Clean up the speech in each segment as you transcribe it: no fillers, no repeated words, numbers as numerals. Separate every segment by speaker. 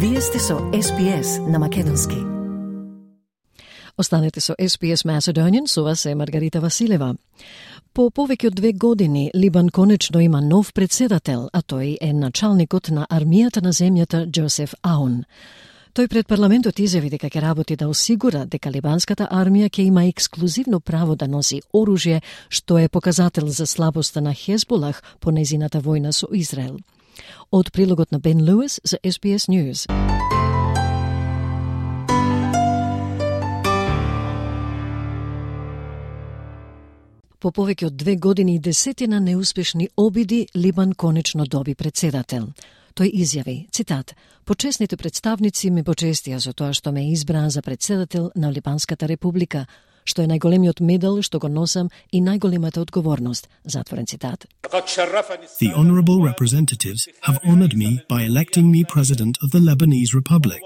Speaker 1: Вие сте со SPS на македонски. Останете со SPS Macedonian, со вас е Маргарита Василева. По повеќе од 2 години, Либан конечно има нов председател, а тој е началникот на армијата на земјата Джозеф Аун. Тој пред парламентот изјави дека ќе работи да осигура дека либанската армија ќе има ексклузивно право да носи оружје, што е показател за слабоста на Хезболах по незината војна со Израел. Од прилогот на Бен Луис за SBS News. По повеќе од 2 години и десетина неуспешни обиди, Либан конечно доби председател. Тој изјави, цитат, "Почесните представници ме почестија за тоа што ме избраа за председател на Либанската република, што е најголемиот медал што го носам и најголемата одговорност", затворен цитат.
Speaker 2: The honorable representatives have honored me by electing me president of the Lebanese Republic,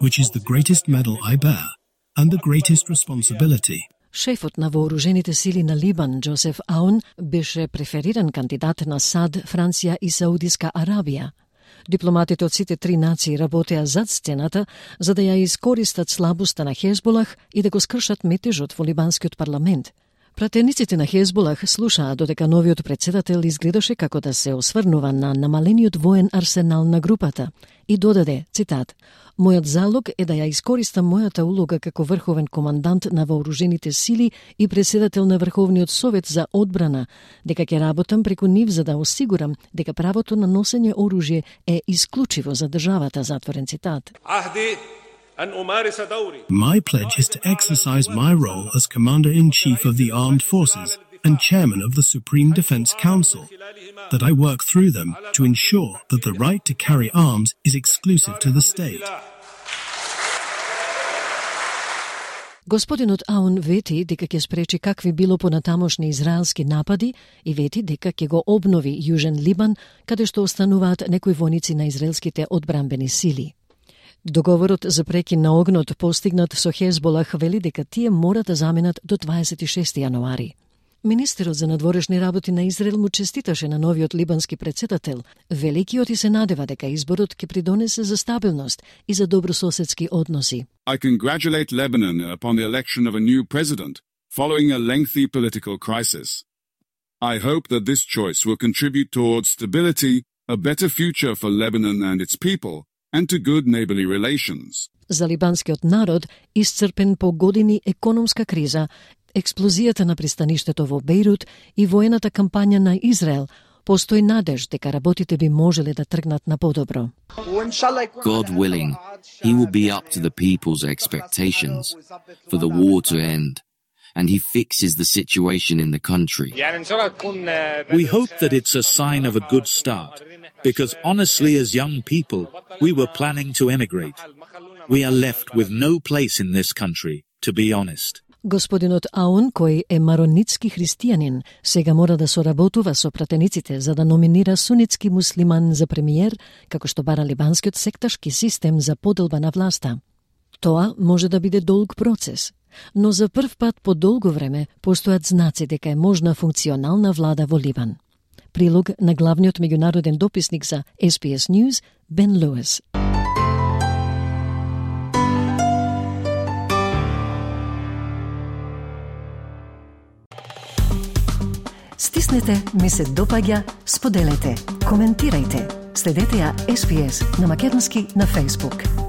Speaker 2: which is the greatest medal I bear and the greatest responsibility.
Speaker 1: Шефот на вооружените сили на Либан, Джозеф Аун, беше префериран кандидат на САД, Франција и Саудиска Арабија. Дипломатите од сите 3 нации работеа зад сцената за да ја искористат слабоста на Хезболах и да го скршат метежот во либанскиот парламент. Пратениците на Хезболах слушаа додека новиот председател изгледаше како да се осврнува на намалениот воен арсенал на групата и додаде, цитат, "Мојот залог е да ја искористам мојата улога како врховен командант на вооружените сили и председател на Врховниот совет за одбрана, дека ќе работам преку нив за да осигурам дека правото на носење оружје е исклучиво за државата", затворен цитат.
Speaker 2: My pledge is to exercise my role as Commander-in-Chief of the Armed Forces and Chairman of the Supreme Defense Council, that I work through them to ensure that the right to carry arms is exclusive to the state.
Speaker 1: Господинот Аун вети дека ќе спречи какви било понатамошни израелски напади и вети дека ќе го обнови Јужен Либан, каде што остануваат некои војници на израелските одбранбени сили. Договорот за прекин на огнот постигнат со Хезболах вели дека тие мора да заменат до 26 јануари. Министерот за надворешни работи на Израел му честиташе на новиот либански председател, великиот и се надева дека изборот ќе придонесе за стабилност и за добрососедски односи.
Speaker 3: I congratulate Lebanon upon the election of a new president, following a lengthy political crisis. I hope that this choice will contribute towards stability, a better future for Lebanon and its people, and to good neighborly relations.
Speaker 1: За либанскиот народ, исцрпен по години економска криза, експлозијата на пристаништето во Бејрут и воената кампања на Израел, постои надеж дека работите би можеле да тргнат на подобро.
Speaker 4: God willing, he will be up to the people's expectations for the war to end, and he fixes the situation in the country.
Speaker 5: We hope that it's a sign of a good start, because honestly as young people, we were planning to emigrate. We are left with no place in this country, to be honest.
Speaker 1: Господинот Аун, кој е маронитски христијанин, сега мора да соработува со пратениците за да номинира сунитски муслиман за премиер, како што бара либанскиот секташки систем за поделба на власта. Тоа може да биде долг процес, но за прв пат по долго време постојат знаци дека е можна функционална влада во Либан. Прилог на главниот меѓународен дописник за SBS News, Бен Луис. Стиснете, ми се допаѓа, споделете, коментирајте. Следете ја SPS на македонски на Facebook.